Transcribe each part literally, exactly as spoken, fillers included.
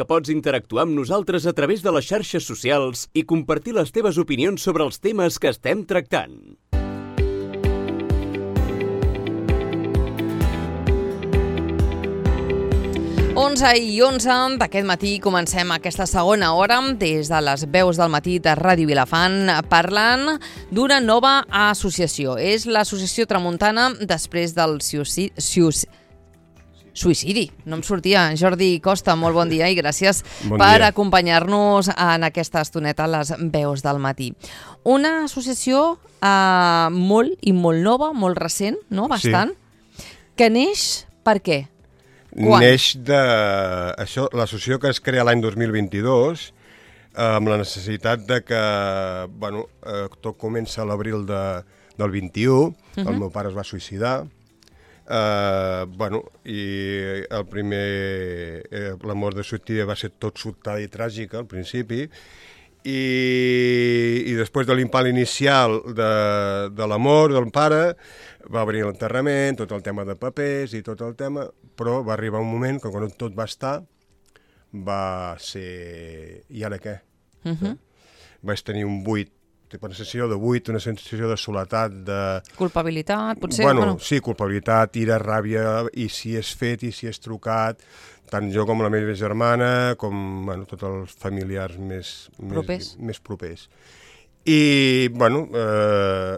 que pots interactuar amb nosaltres a través de les xarxes socials i compartir les teves opinions sobre els temes que estem tractant. onze i onze d'aquest matí comencem aquesta segona hora des de les veus del matí de Ràdio Vilafant parlant d'una nova associació. És l'Associació Tramuntana després del suïcidi. Suïcidi, no em sortia. Jordi Costa, molt bon dia i gràcies bon per dia. acompanyar-nos en aquesta estoneta a les veus del matí. Una associació eh, molt i molt nova, molt recent, no? Bastant, sí. Que neix per què? Quan? Neix de... Això, l'associació que es crea l'any dos mil vint-i-dos amb la necessitat de que, bueno, eh, tot comença a l'abril de, del vint-i-u, uh-huh. El meu pare es va suïcidar, eh, bueno, i el primer, eh, la mort de suïcidi va ser tot sobtada i tràgica al principi, i, i després de l'impalt inicial de, de la mort del pare, va venir l'enterrament, tot el tema de papers i tot el tema, però va arribar un moment que quan tot va estar, va ser... I ara què? Uh-huh. Vaig tenir un buit, una sensació de buit, una sensació de soledat, de... Culpabilitat, potser? Bueno, bueno. Sí, culpabilitat, ira, ràbia, i si és fet, i si és trucat, tant jo com la meva germana, com bueno, tots els familiars més propers. Més, més propers. I, bueno, eh,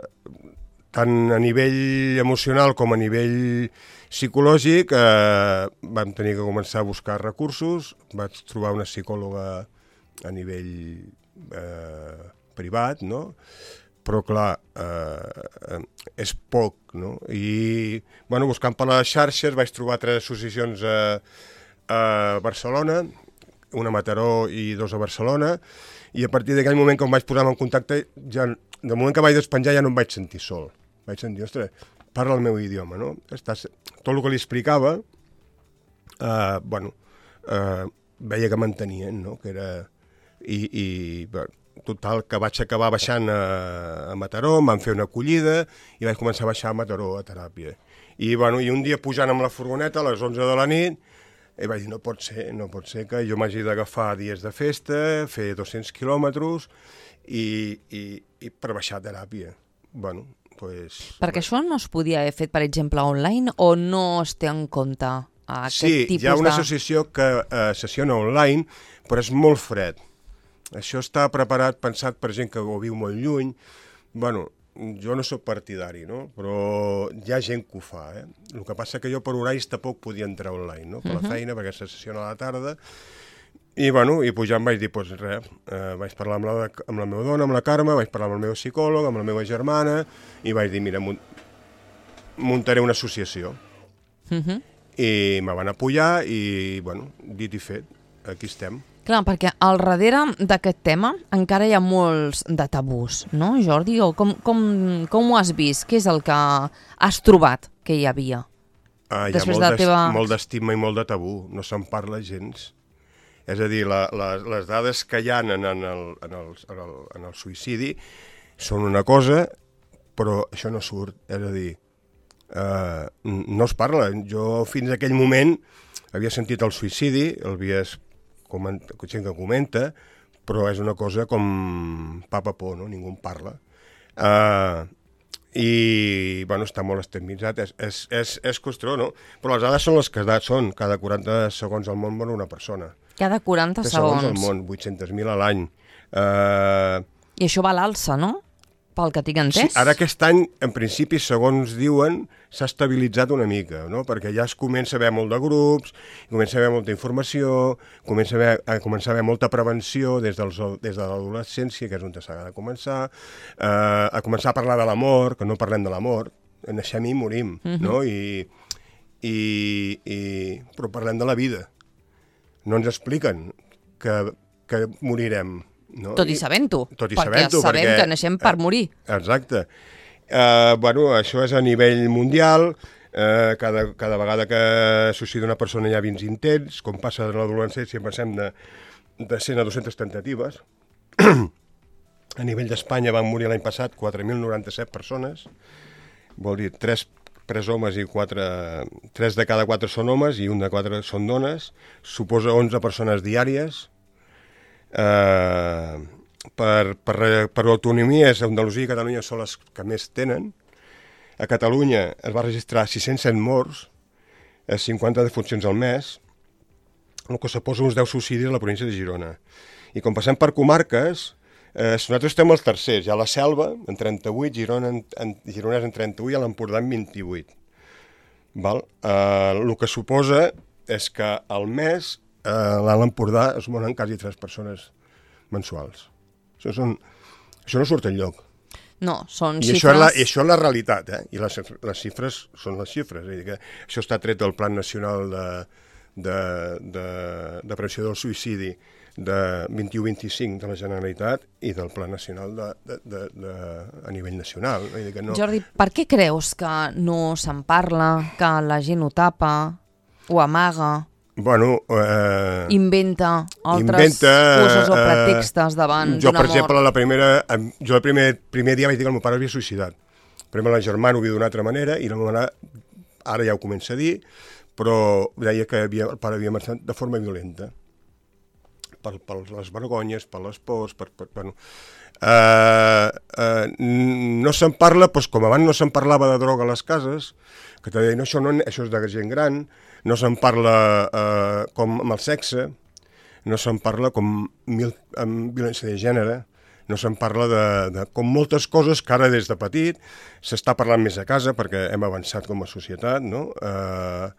tant a nivell emocional com a nivell psicològic, eh, vam tenir que començar a buscar recursos, vaig trobar una psicòloga a nivell eh, privat, no? Però clar, eh, és poc, no? I, bueno, buscant per les xarxes vaig trobar tres associacions a, a Barcelona, una a Mataró i dos a Barcelona, i a partir d'aquell moment que em vaig posar en contacte, ja, del moment que vaig despenjar ja no em vaig sentir sol. Vaig sentir, ostres, parla el meu idioma, no? Estàs... Tot el que li explicava, eh, bueno, eh, veia que m'entenien, no? Que era... I, i bueno, total, que vaig acabar baixant a, a Mataró, em van fer una acollida i vaig començar a baixar a Mataró a teràpia. I, bueno, i un dia pujant amb la furgoneta a les onze de la nit, i vaig dir, no pot ser, no pot ser que jo m'hagi d'agafar dies de festa, fer dos-cents quilòmetres i, i, i per baixar a teràpia. Bueno, pues... Perquè això no es podia haver fet, per exemple, online o no es té en compte aquest sí, tipus de... Sí, hi ha una associació que eh, sessiona online, però és molt fred. Això està preparat, pensat per gent que ho viu molt lluny. Bueno, jo no sóc partidari, no? Però hi ha gent que ho fa, eh? El que passa que jo per horaris tampoc podia entrar online, no? Per uh-huh. la feina, perquè se sessiona a la tarda. I, bueno, i pujant vaig dir, doncs res, eh, vaig parlar amb la, amb la meva dona, amb la Carme, vaig parlar amb el meu psicòleg, amb la meva germana, i vaig dir, mira, muntaré una associació. Uh-huh. I me van apoyar i, bueno, dit i fet, aquí estem. Clar, perquè al darrere d'aquest tema encara hi ha molts de tabús, no, Jordi? O com, com, com ho has vist? Què és el que has trobat que hi havia? Ah, hi ha molt, de teva... molt d'estigma i molt de tabú, no se'n parla gens. És a dir, la, la, les dades que hi ha en el, en, el, en, el, en, el, en el suïcidi són una cosa, però això no surt. És a dir, eh, no es parla. Jo fins a aquell moment havia sentit el suïcidi, el havies comenta, gent que comenta, però és una cosa com papa por, no? Ningú en parla. Eh, I, bueno, està molt estigmatitzat, és, és, és, és costró, no? Però les dades són les que són, cada quaranta segons al món mor una persona. Cada quaranta segons. segons al món, vuit-cents mil a l'any. Uh... I això va a l'alça, no? Pel que tinc entès. Sí, ara aquest any, en principi, segons diuen, s'ha estabilitzat una mica, no? Perquè ja es comença a haver molt de grups, comença a haver molta informació, comença a, haver, a començar a haver molta prevenció des, dels, des de l'adolescència, que és on s'ha de començar, uh, a començar a parlar de la mort, que no parlem de la mort, naixem i morim, uh-huh. no? I, i, i, però parlem de la vida. No ens expliquen que, que morirem. No? Tot i sabent-ho, tot i perquè sabent-ho, sabem perquè, que naixem per morir. Exacte. Uh, bueno, això és a nivell mundial, uh, cada, cada vegada que suïcida una persona hi ha vint intents, com passa en l'adolescència, passem de, de cent a dues-centes tentatives. A nivell d'Espanya van morir l'any passat quatre mil noranta-set persones, vol dir tres tres homes i quatre... tres de cada quatre són homes i un de quatre són dones. Suposa onze persones diàries. Eh, per, per, per autonomia, Andalusia i Catalunya són les que més tenen. A Catalunya es va registrar sis-cents set morts, cinquanta defuncions al mes, el que suposa uns deu suïcidis a la província de Girona. I com passem per comarques, eh, nosaltres estem els tercers. Hi ha la Selva, en trenta-vuit, Girona en, en, Gironès en trenta-vuit i a l'Empordà en vint-i-vuit. Val? Eh, el que suposa és que al mes eh, a l'Empordà es moren quasi tres persones mensuals. Això, són, això no surt enlloc. No, són I xifres... Això és la, I això és la realitat, eh? I les, les xifres són les xifres. És a dir que això està tret del Plan Nacional de, de, de, de Prevenció del Suïcidi de vint-i-u vint-i-cinc de la Generalitat i del Pla Nacional de, de, de, de, a nivell nacional. És a dir que no... Jordi, per què creus que no se'n parla, que la gent ho tapa, ho amaga... Bueno, eh, inventa altres inventa, coses o eh, pretextes davant jo, d'una per mort. exemple, la primera, jo el primer, primer dia vaig dir que el meu pare havia suïcidat. Primer la germana ho havia d'una altra manera i la meva mare ara ja ho comença a dir, però deia que havia, el pare havia marxat de forma violenta. Per, per les vergonyes, per les pors, per... per bueno. eh, eh, no se'n parla, doncs, com abans no se'n parlava de droga a les cases, que te deien, no, això, no, això és de gent gran, no se'n parla eh, com amb el sexe, no se'n parla com mil, amb violència de gènere, no se'n parla de, de com moltes coses que ara des de petit s'està parlant més a casa perquè hem avançat com a societat, no? Eh,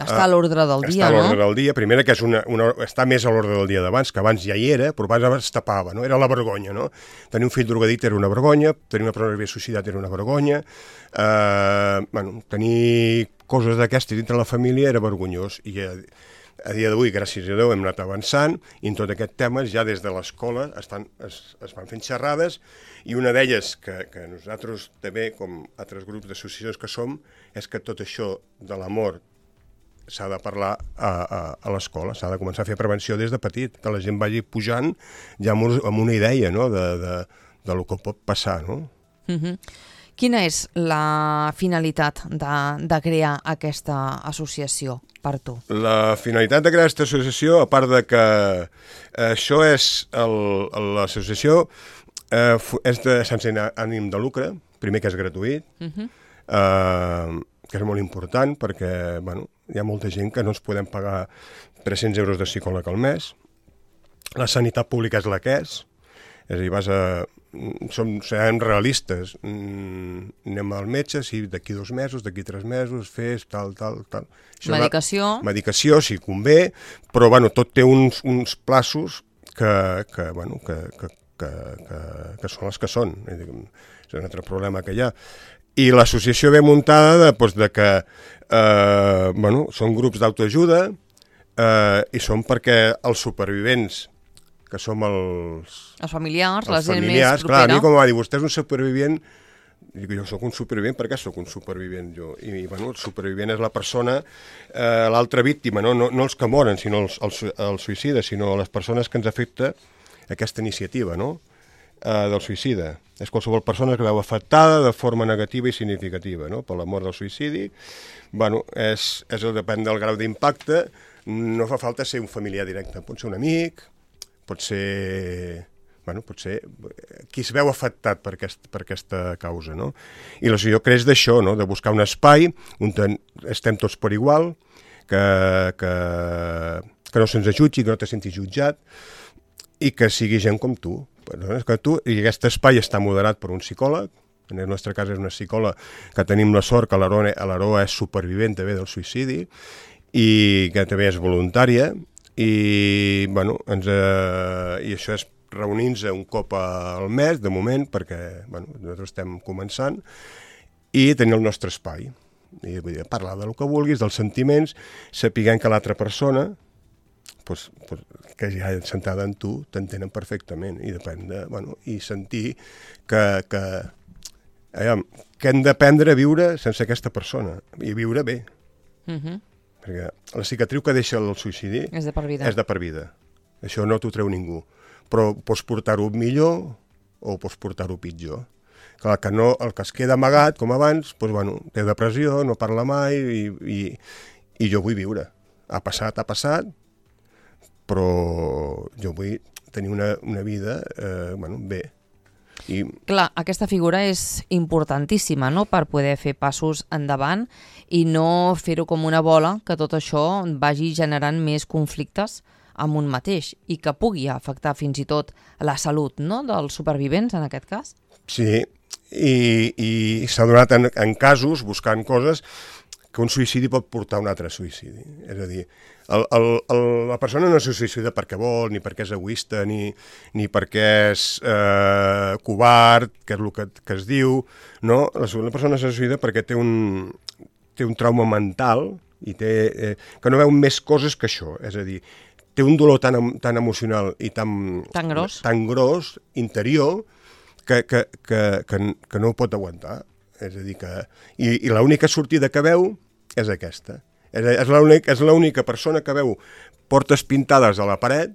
Està a l'ordre del dia, està a l'ordre no? del dia. Primera, que és una, una, està més a l'ordre del dia d'abans, que abans ja hi era, però abans es tapava, no? Era la vergonya, no? Tenir un fill drogadicte era una vergonya, tenir una persona que havia suïcidat era una vergonya, eh, bueno, tenir coses d'aquestes dintre la família era vergonyós, i a, a dia d'avui, gràcies a Déu, hem anat avançant, i en tot aquest tema ja des de l'escola es, fan, es, es van fent xerrades, i una d'elles que, que nosaltres també, com altres grups d'associacions que som, és que tot això de la mort s'ha de parlar a, a, a l'escola, s'ha de començar a fer prevenció des de petit, que la gent vagi pujant ja amb, un, amb una idea, no?, de, de, de lo que pot passar, no? Uh-huh. Quina és la finalitat de, de crear aquesta associació per tu? La finalitat de crear aquesta associació, a part de que això és, l'associació eh, és de, sense ànim de lucre, primer que és gratuït, uh-huh. eh, que és molt important perquè, bueno, hi ha molta gent que no ens podem pagar tres-cents euros de psicòleg al mes. La sanitat pública és la que és. És a dir, vas a... Som, serem realistes. Mm, anem al metge, sí, d'aquí dos mesos, d'aquí tres mesos, fes tal, tal, tal. Això medicació. Va, medicació, si convé, però, bueno, tot té uns, uns plaços que, que, bueno, que, que, que, que, que són els que són. És un altre problema que hi ha. I l'associació ve muntada de, doncs, de que eh, bueno, són grups d'autoajuda eh, i són perquè els supervivents, que som els... Els familiars, els la gent familiars, més propera. Clar, a mi com va dir, vostè és un supervivent, dic, jo sóc un supervivent, per què sóc un supervivent jo? I, bueno, el supervivent és la persona, eh, l'altra víctima, no? No, no els que moren, sinó els, els, els suïcides, sinó les persones que ens afecta aquesta iniciativa, no?, eh, del suïcida. És qualsevol persona que veu afectada de forma negativa i significativa, no?, per la mort del suïcidi. Bueno, és, és el depèn del grau d'impacte, no fa falta ser un familiar directe, pot ser un amic, pot ser, bueno, pot ser qui es veu afectat per, aquest, per aquesta causa, no? I l'associació creix d'això, no?, de buscar un espai on estem tots per igual, que, que, que no se'ns jutgi, que no te sentis jutjat, i que sigui gent com tu. Que tu, i aquest espai està moderat per un psicòleg, en el nostre cas és una psicòloga que tenim la sort que l'Aroa és supervivent també del suïcidi i que també és voluntària i, bueno, ens, eh, i això és reunir-nos un cop al mes de moment perquè, bueno, nosaltres estem començant i tenir el nostre espai i, vull dir, parlar del que vulguis, dels sentiments, sapiguem que l'altra persona pues, pues, que ja sentada en tu t'entenen perfectament i depèn de, bueno, i sentir que, que, eh, que hem d'aprendre a viure sense aquesta persona i viure bé. Uh-huh. Perquè la cicatriu que deixa el suïcidi és de per vida. És de per vida. Això no t'ho treu ningú. Però pots portar-ho millor o pots portar-ho pitjor. Clar, que no, el que es queda amagat, com abans, doncs, bueno, té depressió, no parla mai i, i, i jo vull viure. Ha passat, ha passat, però jo vull tenir una, una vida eh, bueno, bé. I... Clar, aquesta figura és importantíssima, no?, per poder fer passos endavant i no fer-ho com una bola, que tot això vagi generant més conflictes amb un mateix i que pugui afectar fins i tot la salut, no?, dels supervivents, en aquest cas. Sí, i, i s'ha donat en, en casos, buscant coses, que un suïcidi pot portar a un altre suïcidi. És a dir, el, el, el, la persona no se suïcida perquè vol, ni perquè és egoista, ni, ni perquè és eh, covard, que és el que, que es diu, no? La, la persona se suïcida perquè té un, té un trauma mental i té, eh, que no veu més coses que això. És a dir, té un dolor tan, tan emocional i tan, tan gros, tan gros interior, que, que, que, que, que no ho pot aguantar. És a dir, que... I, i l'única sortida que veu és aquesta. És, és l'única és l'única persona que veu portes pintades a la paret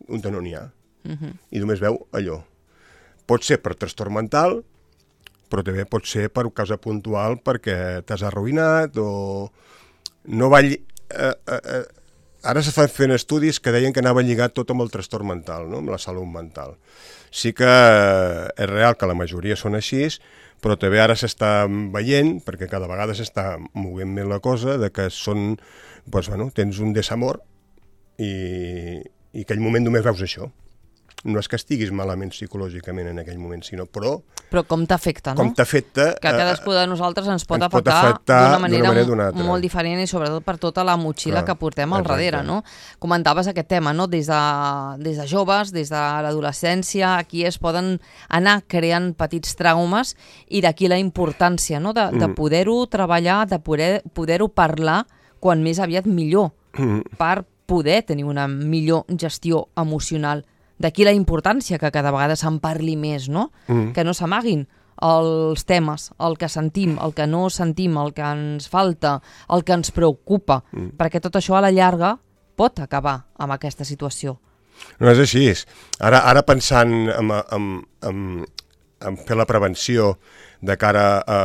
on no n'hi ha. Uh-huh. I només veu allò. Pot ser per trastorn mental, però també pot ser per causa puntual perquè t'has arruïnat o no va... Lli... Eh, eh, eh, ara s'estan fent estudis que deien que anava lligat tot amb el trastorn mental, no? Amb la salut mental. Sí que és real que la majoria són així, però també ara s'està veient, perquè cada vegada s'està movent més la cosa, de que són, doncs, bueno, tens un desamor i, i aquell moment només veus això. No és que estiguis malament psicològicament en aquell moment, sinó però... Però com t'afecta, no? Com t'afecta... Que a cadascú de nosaltres ens pot ens afectar, pot afectar d'una manera, manera m- molt diferent i sobretot per tota la motxilla Clar, que portem al exacte. darrere, no? Comentaves aquest tema, no? Des de, des de joves, des de l'adolescència, aquí es poden anar creant petits traumes i d'aquí la importància, no? De, de poder-ho treballar, de poder, poder-ho parlar quan més aviat millor, Mm. per poder tenir una millor gestió emocional. D'aquí la importància que cada vegada se'n parli més, no? Mm. Que no s'amaguin els temes, el que sentim, el que no sentim, el que ens falta, el que ens preocupa, mm. perquè tot això a la llarga pot acabar amb aquesta situació. No és així. Ara, ara pensant en, en, en, en fer la prevenció de cara a,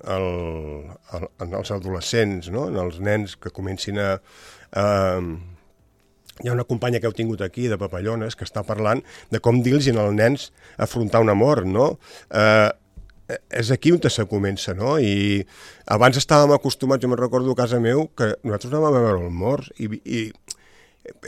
a, a, als adolescents, no? En els nens que comencin a... a hi ha una companya que heu tingut aquí, de Papallones, que està parlant de com dir-los als nens afrontar una mort, no? Eh, és aquí on se comença, no? I abans estàvem acostumats, jo me'n recordo a casa meu, que nosaltres anàvem a veure els morts, i, i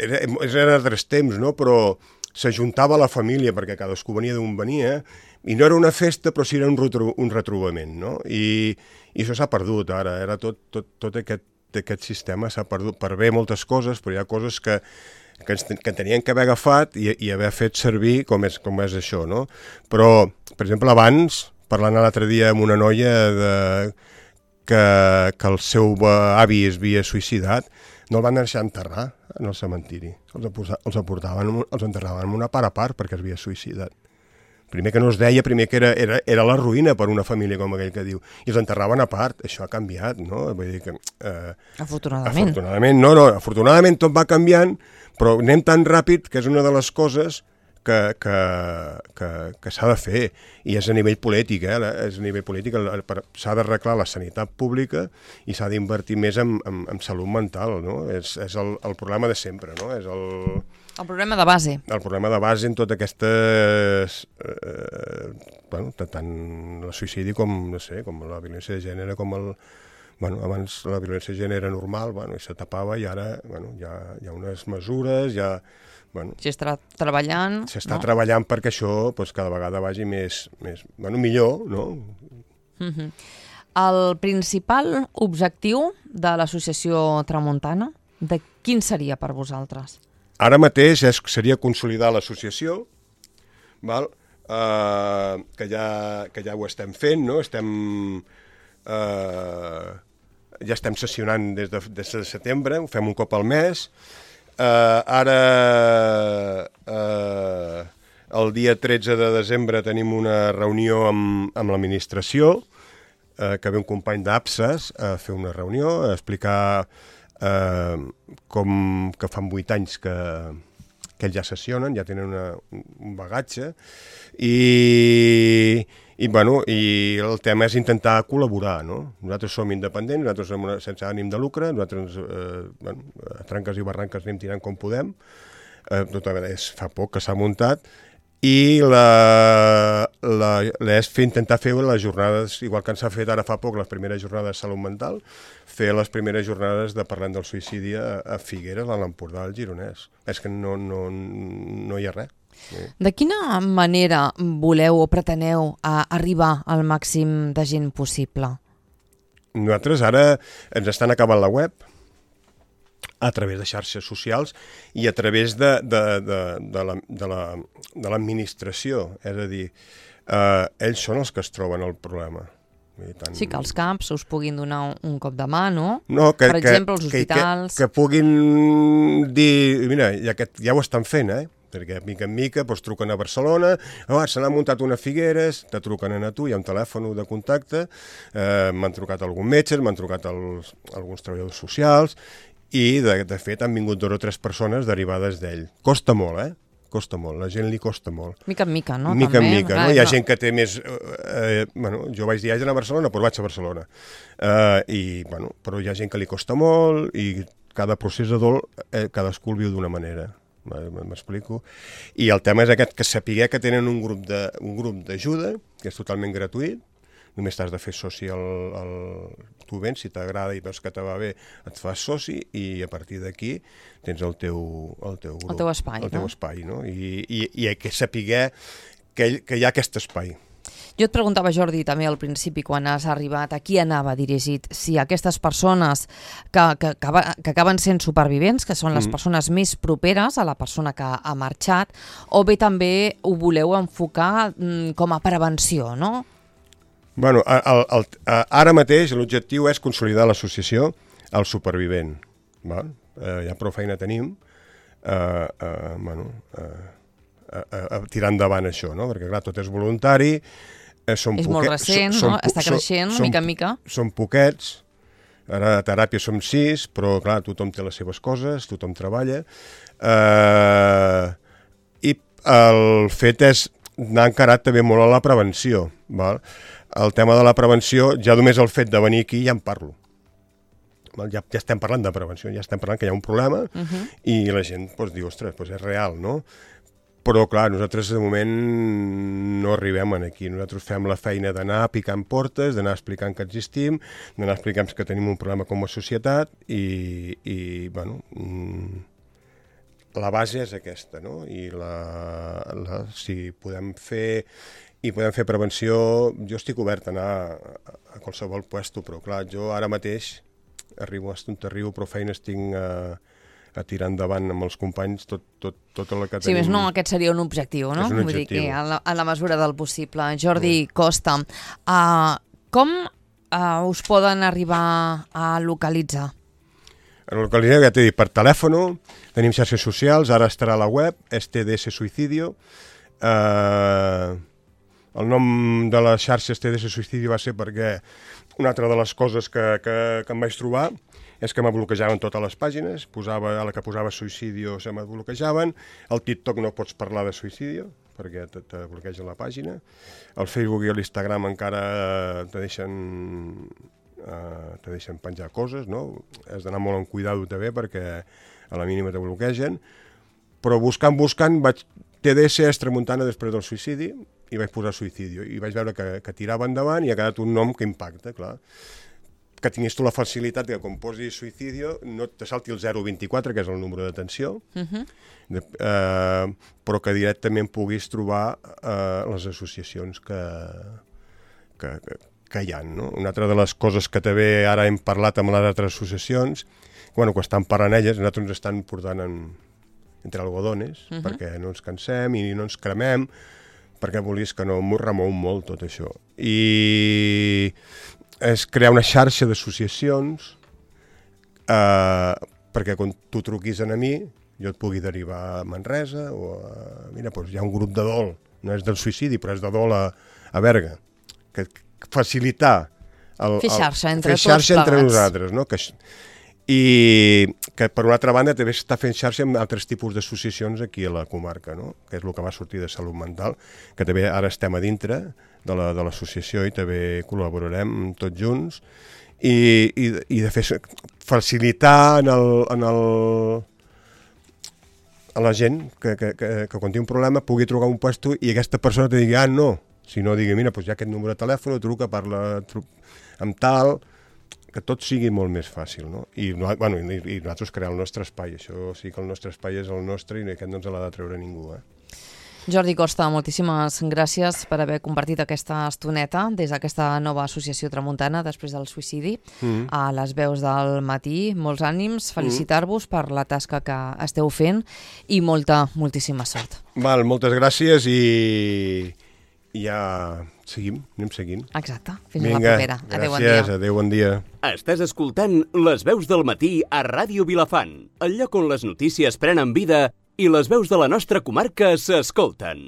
era, eren altres temps, no? Però s'ajuntava la família, perquè cadascú venia d'on venia, i no era una festa, però sí era un, retro, un retrobament, no? I, i això s'ha perdut ara, era tot, tot, tot aquest aquest sistema s'ha perdut per bé moltes coses, però hi ha coses que, que, ens, que tenien que haver agafat i, i haver fet servir com és, com és això, no? Però, per exemple, abans, parlant l'altre dia amb una noia de, que, que el seu avi es havia suïcidat, no el van deixar enterrar en el cementiri. Els, els aportaven, els enterraven amb una part a part perquè es havia suïcidat. Primer que no es deia, primer que era, era, era la ruïna per una família com aquell que diu. I els enterraven a part. Això ha canviat, no? Vull dir que... Eh, afortunadament. Afortunadament, no, no. Afortunadament tot va canviant, però anem tan ràpid que és una de les coses que, que, que, que s'ha de fer. I és a nivell polític, eh? És a nivell polític. S'ha d'arreglar la sanitat pública i s'ha d'invertir més en, en, en salut mental, no? És, és el, el problema de sempre, no? És el... El problema de base. El problema de base en totes aquestes... Eh, bueno, tant el suïcidi com, no sé, com la violència de gènere, com el... Bueno, abans la violència de gènere era normal, bueno, i se tapava, i ara, bueno, hi ha, hi ha unes mesures, hi ha... Bueno, s'està treballant... S'està no? treballant perquè això pues, cada vegada vagi més... més bueno, millor, no? Uh-huh. El principal objectiu de l'associació Tramuntana, de quin seria per vosaltres? Ara mateix és, seria consolidar l'associació, val? Uh, que, ja, que ja ho estem fent, no? Estem, uh, ja estem sessionant des de, des de setembre, ho fem un cop al mes. Uh, ara, uh, el dia tretze de desembre tenim una reunió amb, amb l'administració, uh, que ve un company d'APSAS a fer una reunió, a explicar... Uh, com que fan vuit anys que, que ells ja sessionen, ja tenen una, un bagatge, i, i, bueno, i el tema és intentar col·laborar, no? Nosaltres som independents, nosaltres som una, sense ànim de lucre, nosaltres eh, bueno, a tranques i barranques anem tirant com podem, eh, tota vegada és fa poc que s'ha muntat, i la, la, la és fer, intentar fer les jornades, igual que ens ha fet ara fa poc les primeres jornades de salut mental, fer les primeres jornades de parlant del suïcidi a, a Figueres, a l'Empordà, al Gironès. És que no, no, no hi ha res. Sí. De quina manera voleu o preteneu a arribar al màxim de gent possible? Nosaltres ara ens estan acabant la web, a través de xarxes socials i a través de, de, de, de, la, de, la, de l'administració. És a dir, eh, ells són els que es troben el problema. Tant... Sí, que els CAPs us puguin donar un, un cop de mà, no? No, que, per exemple, els hospitals... Que, que, que puguin dir... Mira, ja, que, ja ho estan fent, eh? Perquè mica en mica doncs, truquen a Barcelona, oh, se n'ha muntat una Figueres, te truquen a tu, hi ha un telèfon de contacte, eh, m'han trucat alguns metges, m'han trucat els, alguns treballadors socials, i de, de fet han vingut dos o tres persones derivades d'ell. Costa molt, eh? Costa molt, la gent li costa molt. Mica en mica, no? Mica També, en mica, clar, no? Hi ha no. gent que té més... Eh, bueno, jo vaig dir, haig d'anar a Barcelona, però vaig a Barcelona. Eh, i, bueno, però hi ha gent que li costa molt i cada procés de dol eh, cadascú el viu d'una manera. M'explico? I el tema és aquest, que sapiguer que tenen un grup de, un grup d'ajuda, que és totalment gratuït, només t'has de fer soci al... al tu vens, si t'agrada i veus que te va bé, et fas soci i a partir d'aquí tens el teu, el teu grup. El teu espai, el teu no? espai, no? I, i, i hay que sapiguer que, que hi ha aquest espai. Jo et preguntava, Jordi, també al principi, quan has arribat, a qui anava dirigit? Si aquestes persones que, que, que, que acaben sent supervivents, que són les Mm. persones més properes a la persona que ha marxat, o bé també ho voleu enfocar mm, com a prevenció, no? Bueno, el, el, el, ara mateix l'objectiu és consolidar l'associació al supervivent. Val? Eh, ja prou feina tenim eh, eh, bueno, eh, a, a, a tirar endavant això, no? Perquè clar, tot és voluntari, eh, són És poquet, molt recent, són, no? Està creixent, són, mica en mica. Són poquets, ara a teràpia som sis, però clar, tothom té les seves coses, tothom treballa, eh, i el fet és anar encarat també molt a la prevenció, val? El tema de la prevenció, ja només el fet de venir aquí ja en parlo. Val? Ja, ja estem parlant de prevenció, ja estem parlant que hi ha un problema uh-huh. i la gent doncs, diu, ostres, doncs és real, no? Però, clar, nosaltres de moment no arribem aquí. Nosaltres fem la feina d'anar picant portes, d'anar explicant que existim, d'anar explicant que tenim un problema com a societat i, i bueno, la base és aquesta, no? I la, la, si podem fer... I podem fer prevenció, jo estic obert a anar a, a qualsevol puesto, però clar, jo ara mateix arribo a on arribo, però feines tinc a, a tirar endavant amb els companys tot, tot, tot el que tenim. Sí, més no, aquest seria un objectiu, no? És un Vull objectiu. dir que a la, a la mesura del possible. Jordi Costa, uh, com uh, us poden arribar a localitzar? A localitzar, ja t'he dit, per telèfon, tenim xarxes socials, ara estarà a la web, és T D S Suicidio. Eh... El nom de les xarxes T D S Suïcidi va ser perquè una altra de les coses que, que, que em vaig trobar és que me bloquejaven totes les pàgines, posava, a la que posava suïcidio se me bloquejaven, al TikTok no pots parlar de suïcidio perquè te, te bloqueja la pàgina, al Facebook i a l'Instagram encara te deixen, uh, te deixen penjar coses, no? Has d'anar molt en cuidado també perquè a la mínima te bloquegen, però buscant, buscant, vaig... T D S és Tramuntana després del suïcidi i vaig posar suïcidio i vaig veure que, que tirava endavant i ha quedat un nom que impacta, clar. Que tinguis tu la facilitat que quan posis suïcidio no te salti el zero vint-i-quatre, que és el número d'atenció, uh-huh. de, eh, però que directament puguis trobar eh, les associacions que, que, que, que hi ha, no? Una altra de les coses que també ara hem parlat amb les altres associacions, bueno, quan estan parlant elles, nosaltres ens estan portant en entre algodones, uh-huh. perquè no ens cansem i no ens cremem, perquè volies que no m'ho remou molt tot això. I és crear una xarxa d'associacions eh, perquè quan tu truquis a mi, jo et pugui derivar a Manresa o a... Mira, doncs hi ha un grup de dol, no és del suïcidi, però és de dol a, a Berga. Que, que facilitar... El, fer xarxa entre fer xarxa tots entre plegats. nosaltres, no? Que, i que per una altra banda també està fent xarxa amb altres tipus d'associacions aquí a la comarca, no? Que és el que va sortir de Salut Mental, que també ara estem a dintre de la, de l'associació i també col·laborarem tots junts i, i, i de fer facilitar en el, en el, a la gent que, que, que, que quan té un problema pugui trucar un puesto i aquesta persona te digui, ah, no, si no digui, mira, doncs hi ha aquest número de telèfon, truca, parla tru amb tal, que tot sigui molt més fàcil, no? I, bueno, i, i nosaltres crear el nostre espai, això sí que el nostre espai és el nostre i aquest no ens l'ha de treure ningú, eh? Jordi Costa, moltíssimes gràcies per haver compartit aquesta estoneta des d'aquesta nova associació tramuntana després del suïcidi mm. a les veus del matí. Molts ànims, felicitar-vos per la tasca que esteu fent i molta, moltíssima sort. Val, moltes gràcies i, i ja seguim, anem seguint. Exacte, fins Vinga, a la propera. Adéu, bon dia. Gràcies, adéu, bon dia. Estàs escoltant Les veus del matí a Ràdio Vilafant, el lloc on les notícies prenen vida i les veus de la nostra comarca s'escolten.